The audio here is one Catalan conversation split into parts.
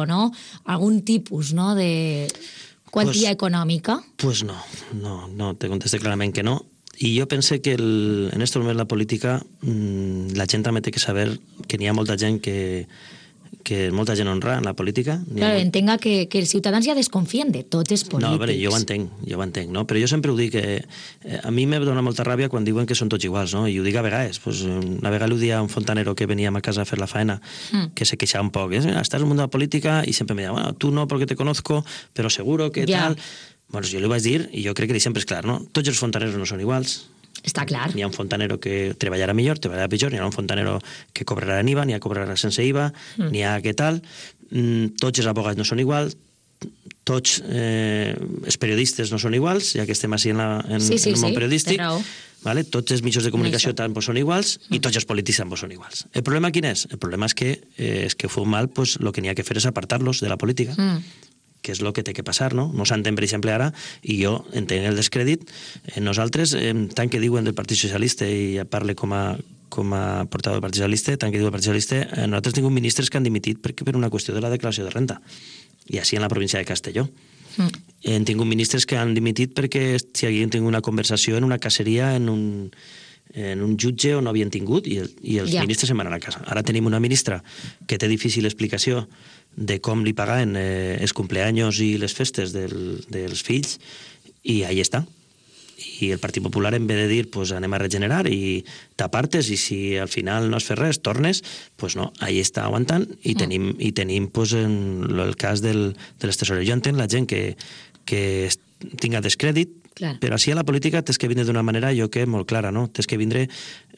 no? Algun tipus, no?, de quantia econòmica. Pues no, te contesté clarament que no. I jo pense que en estos moments la política, la gent també té que saber que n'hi ha molta gent que molta gent honra en la política. Claro, entenga que els ciutadans ja desconfien de tots els polítics. No, a veure, jo ho entenc, no? Però jo sempre ho dic, a mi me dona molta ràbia quan diuen que són tots iguals, no? I ho dic a vegades. Pues, una vegada ho dia un fontanero que veníem a casa a fer la faena, que se queixava un poc. Estàs en el món de la política i sempre me deia, bueno, tu no porque te conozco, però seguro que tal... Bueno, jo li vaig dir, i jo crec que sempre és clar, no? Tots els fontaneros no són iguals. Està clar. N'hi ha un fontanero que treballarà millor, treballarà pitjor, n'hi ha un fontanero que cobrarà en IVA, n'hi ha que cobrarà sense IVA, n'hi ha que tal. Tots els abogats no són iguals, tots els periodistes no són iguals, ja que estem així en el món periodístic. Vale? Tots els mitjans de comunicació tampoc són iguals i tots els polítics tampoc són iguals. El problema quin és? El problema és que ho feu mal, pues, el que n'hi ha que fer és apartar-los de la política. Que és el que té que passar, no? No s'entén, per exemple, ara, i jo entenc el descrèdit, nosaltres, tant que diuen del Partit Socialista, i parle com a portador del Partit Socialista, tant que diu el Partit Socialista, nosaltres tenim ministres que han dimitit per una qüestió de la declaració de renta, i així en la província de Castelló. Hem tingut ministres que han dimitit perquè si haguien tingut una conversació en una caseria, en un jutge on no havien tingut, i els ministres se'n van a casa. Ara tenim una ministra que té difícil explicació de com li pagaven els cumpleaños i les festes dels fills, i ahí està. I el Partit Popular, en vez de dir pues, anem a regenerar i t'apartes, i si al final no has fet res, tornes, pues no, ahí està aguantant, i tenim pues, el cas de les tesoreries. Jo entenc la gent que tinga descrèdit, però així a la política tens que vindre d'una manera, jo que molt clara, no? Tens que vindre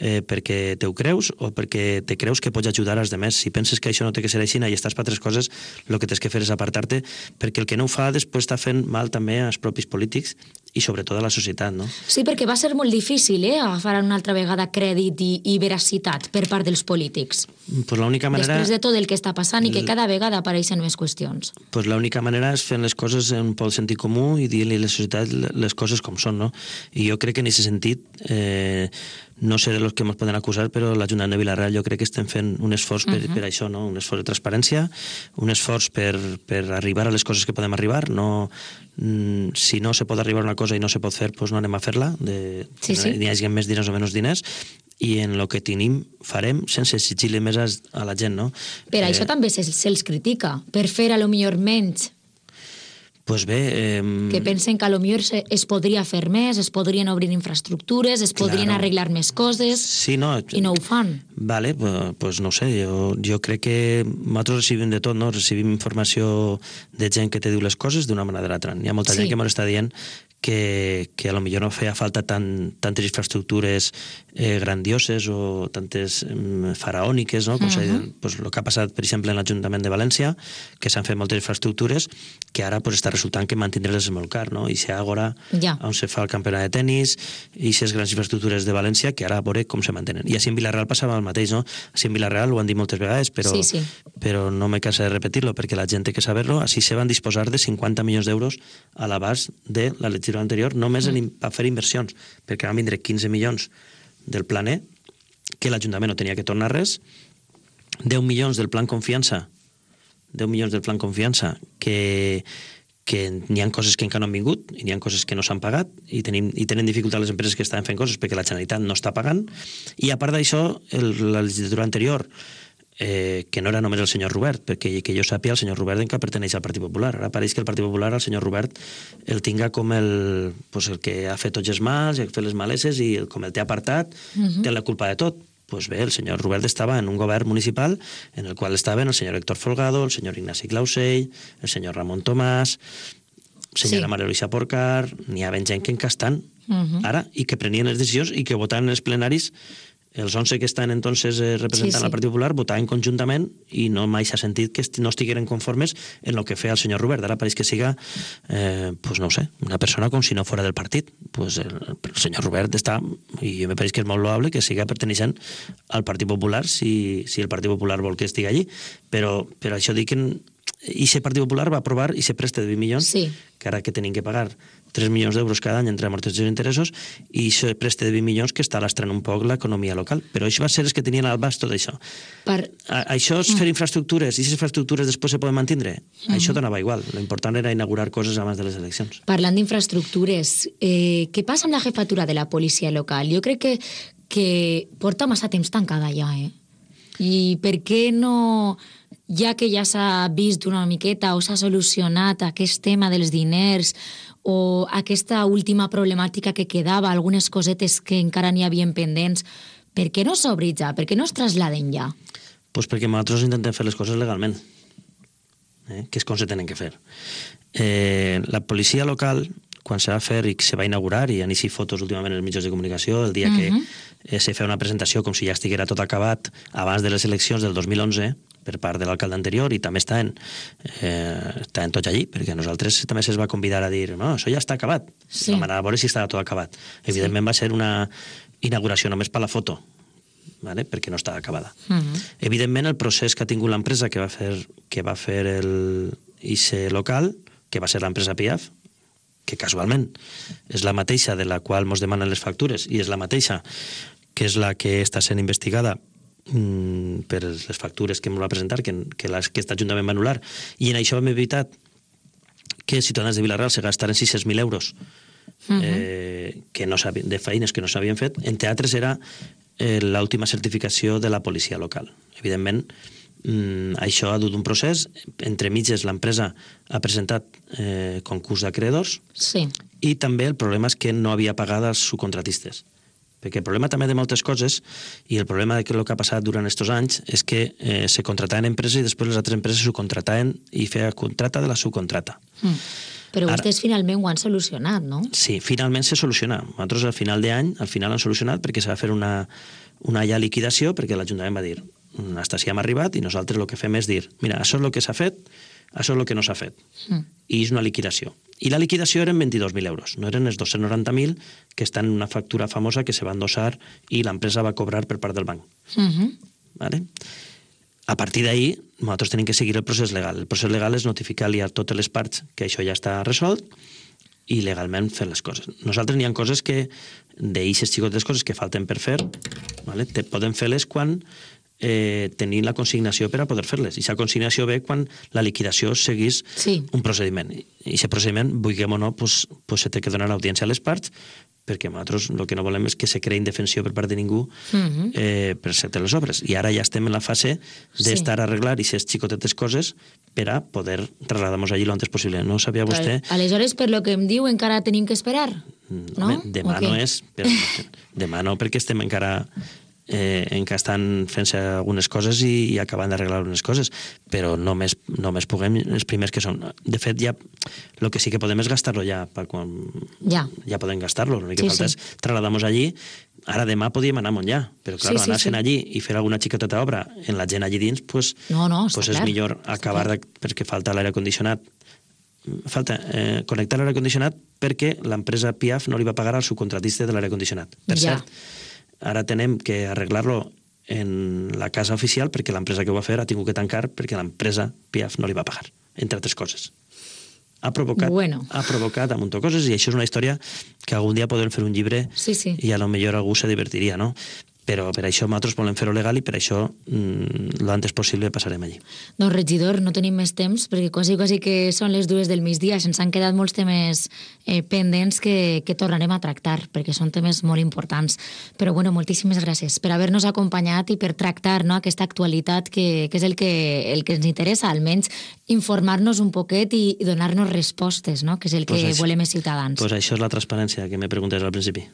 perquè te ho creus o perquè te creus que pots ajudar als demés. Si penses que això no té que ser així i estàs per altres coses, el que tens que fer és apartar-te, perquè el que no ho fa després està fent mal també als propis polítics i sobretot a la societat, no? Sí, perquè va ser molt difícil agafar una altra vegada crèdit i veracitat per part dels polítics. Pues l'única manera... Després de tot el que està passant i que cada vegada apareixen més qüestions. Pues l'única manera és fent les coses en un sentit comú i dir-li a la societat les coses com són, no? I jo crec que en aquest sentit, no sé de los que ens poden acusar, però l'Ajuntament de Vila-real jo crec que estem fent un esforç per això, no? Un esforç de transparència, un esforç per arribar a les coses que podem arribar. No, si no se pot arribar a una cosa i no se pot fer, doncs no anem a fer-la, n'hi hagi més diners o menys diners, i en el que tenim farem sense exigir-li més a la gent, no? Per això també se'ls critica, per fer a lo millor menys. Pues bé... Que pensen que a lo millor es podria fer més, es podrien obrir infraestructures, es podrien arreglar més coses, i no ho fan. Vale, pues no ho sé, jo crec que nosaltres recibim de tot, no? Recibim informació de gent que te diu les coses d'una manera o de l'altra. Hi ha molta gent que m'ho està dient que a lo millor no feia falta tantes infraestructures grandioses o tantes faraòniques, no? Pues el que ha passat, per exemple, en l'Ajuntament de València, que s'han fet moltes infraestructures que ara pues, està resultant que mantindre-les és molt car, no? I si Àgora, on se fa el campionat de tenis, i si les grans infraestructures de València, que ara veure com se mantenen. I així en Vila-real passava el mateix, no? Així en Vila-real ho han dit moltes vegades, però no me cansa de repetir-lo, perquè la gent té que saber-lo. Així se van disposar de 50 milions d'euros a l'abast de la legislatura anterior, només a fer inversions, perquè van vindre 15 milions del Plan E, que l'Ajuntament no tenia que tornar res, 10 milions del Plan Confiança, que n'hi ha coses que encara no han vingut i n'hi ha coses que no s'han pagat i tenen dificultat les empreses que estaven fent coses perquè la Generalitat no està pagant. I a part d'això, la legislatura anterior, que no era només el senyor Robert, perquè que jo sàpiga, el senyor Robert encara perteneix al Partit Popular. Ara pareix que el Partit Popular, el senyor Robert, el tinga com el que ha fet tots els mals, ha fet les maleses, i com el té apartat, té la culpa de tot. Pues bé, el senyor Robert estava en un govern municipal en el qual estaven el senyor Héctor Folgado, el senyor Ignasi Clausell, el senyor Ramon Tomàs, senyora Maria Luisa Porcar, n'hi ha gent que encara estan ara i que prenien les decisions i que votaven en els plenaris. Els 11 que estan entonces representant el Partit Popular votaven conjuntament i no mai s'ha sentit que no estigueren conformes en el que feia el senyor Robert. Ara pareix que siga, pues no ho sé, una persona com si no fora del partit. Pues el senyor Robert està, i me pareix que és molt loable que siga perteneixent al Partit Popular si el Partit Popular vol que estigui allí. Però això dic que i si el Partit Popular va aprovar i se presta de 20 milions, que ara que tenim que pagar 3 milions d'euros cada any entre amortitzacions i interessos, i això preste de 20 milions que està lastrant un poc l'economia local. Però això va ser els que tenien al abast tot això. Això és fer infraestructures, i si les infraestructures després se poden mantenir, això donava igual. L'important era inaugurar coses abans de les eleccions. Parlant d'infraestructures, què passa amb la jefatura de la policia local? Jo crec que porta massa temps tancada ja, I per què no, ja que ja s'ha vist una miqueta o s'ha solucionat aquest tema dels diners o aquesta última problemàtica que quedava, algunes cosetes que encara n'hi havien pendents, per què no s'obri ja? Per què no es traslladen ja? Pues perquè nosaltres intentem fer les coses legalment, que és com se tenen que fer. La policia local, quan se va fer i se va inaugurar, i han eixit fotos últimament en els mitjans de comunicació, el dia que se feia una presentació com si ja estiguera tot acabat abans de les eleccions del 2011, per part de l'alcalde anterior, i també estaven tots allí, perquè nosaltres també se'ls va convidar a dir, no, això ja està acabat. Sí. Vam anar a veure si estava tot acabat. Evidentment va ser una inauguració només per la foto, ¿vale? Perquè no estava acabada. Evidentment, el procés que ha tingut l'empresa que va fer el ICE local, que va ser l'empresa PIAF, que casualment és la mateixa de la qual ens demanen les factures i és la mateixa que és la que està sent investigada per les factures que ens va presentar, que aquest Ajuntament va anul·lar. I en això hem evitat que ciutadans de Vila-real se gastaren 600.000 euros de feines que no s'havien fet. Entre altres era l'última certificació de la policia local. Evidentment, això ha dut un procés. Entre mitges l'empresa ha presentat concurs d'acreedors i també el problema és que no havia pagat els subcontratistes. Perquè el problema també de moltes coses, i el problema de el que ha passat durant aquests anys, és que se contrataven empreses i després les altres empreses subcontrataven i feia contrata de la subcontrata. Però vostès finalment ho han solucionat, no? Sí, finalment se soluciona. Nosaltres al final d'any, al final han solucionat perquè s'ha de fer una ja liquidació, perquè l'Ajuntament va dir hasta si hem arribat i nosaltres el que fem és dir, mira, això és el que s'ha fet, això és el que no s'ha fet. I és una liquidació. I la liquidació eren 22.000 euros, no eren els 290.000 que estan en una factura famosa que se va endossar i l'empresa va cobrar per part del banc. ¿Vale? A partir d'ahí, nosaltres tenim que seguir el procés legal. El procés legal és notificar-li a totes les parts que això ja està resolt i legalment fer les coses. Nosaltres n'hi ha coses que, d'eixes xicotes coses que falten per fer, ¿vale? Podem fer-les quan tenir la consignació per a poder fer-les. I aquesta consignació ve quan la liquidació seguís un procediment. I aquest procediment, vulguem o no, se té que donar audiència a les parts, perquè nosaltres el que no volem és que se creï indefensió per part de ningú per ser les obres. I ara ja estem en la fase d'estar a arreglar aquestes xicotetes coses per a poder trasladar-nos allí l'antes possible. No sabia vostè... Aleshores, per lo que em diu, encara tenim que esperar? No? Demà no és... Demà no, perquè estem encara estan fent-se algunes coses i acabant d'arreglar algunes coses, però només puguem els primers que són. De fet, ja el que sí que podem és gastar-lo ja, ja podem gastar-lo, l'únic que falta és trasladar-nos allí. Ara demà podíem anar a Montllà, però clar, anar-se'n allí i fer alguna xicoteta obra en la gent allí dins, és millor acabar perquè falta l'aire condicionat. Falta connectar l'aire condicionat perquè l'empresa PIAF no li va pagar al subcontratista de l'aire condicionat. Per cert, ara tenem que arreglar-lo en la casa oficial perquè l'empresa que ho va fer ha tingut que tancar perquè l'empresa PIAF no li va pagar, entre altres coses. Ha provocat un munt de coses i això és una història que algun dia podem fer un llibre i a lo millor algú se divertiria, no? Però per això nosaltres volem fer-ho legal i per això l'antes possible passarem allí. Doncs, regidor, no tenim més temps perquè quasi que són les 2 del migdia. Se'ns han quedat molts temes pendents que tornarem a tractar perquè són temes molt importants. Però, bueno, moltíssimes gràcies per haver-nos acompanyat i per tractar aquesta actualitat que és el que ens interessa, almenys informar-nos un poquet i donar-nos respostes, que és el que volem els ciutadans. Doncs això és la transparència que me preguntes al principi.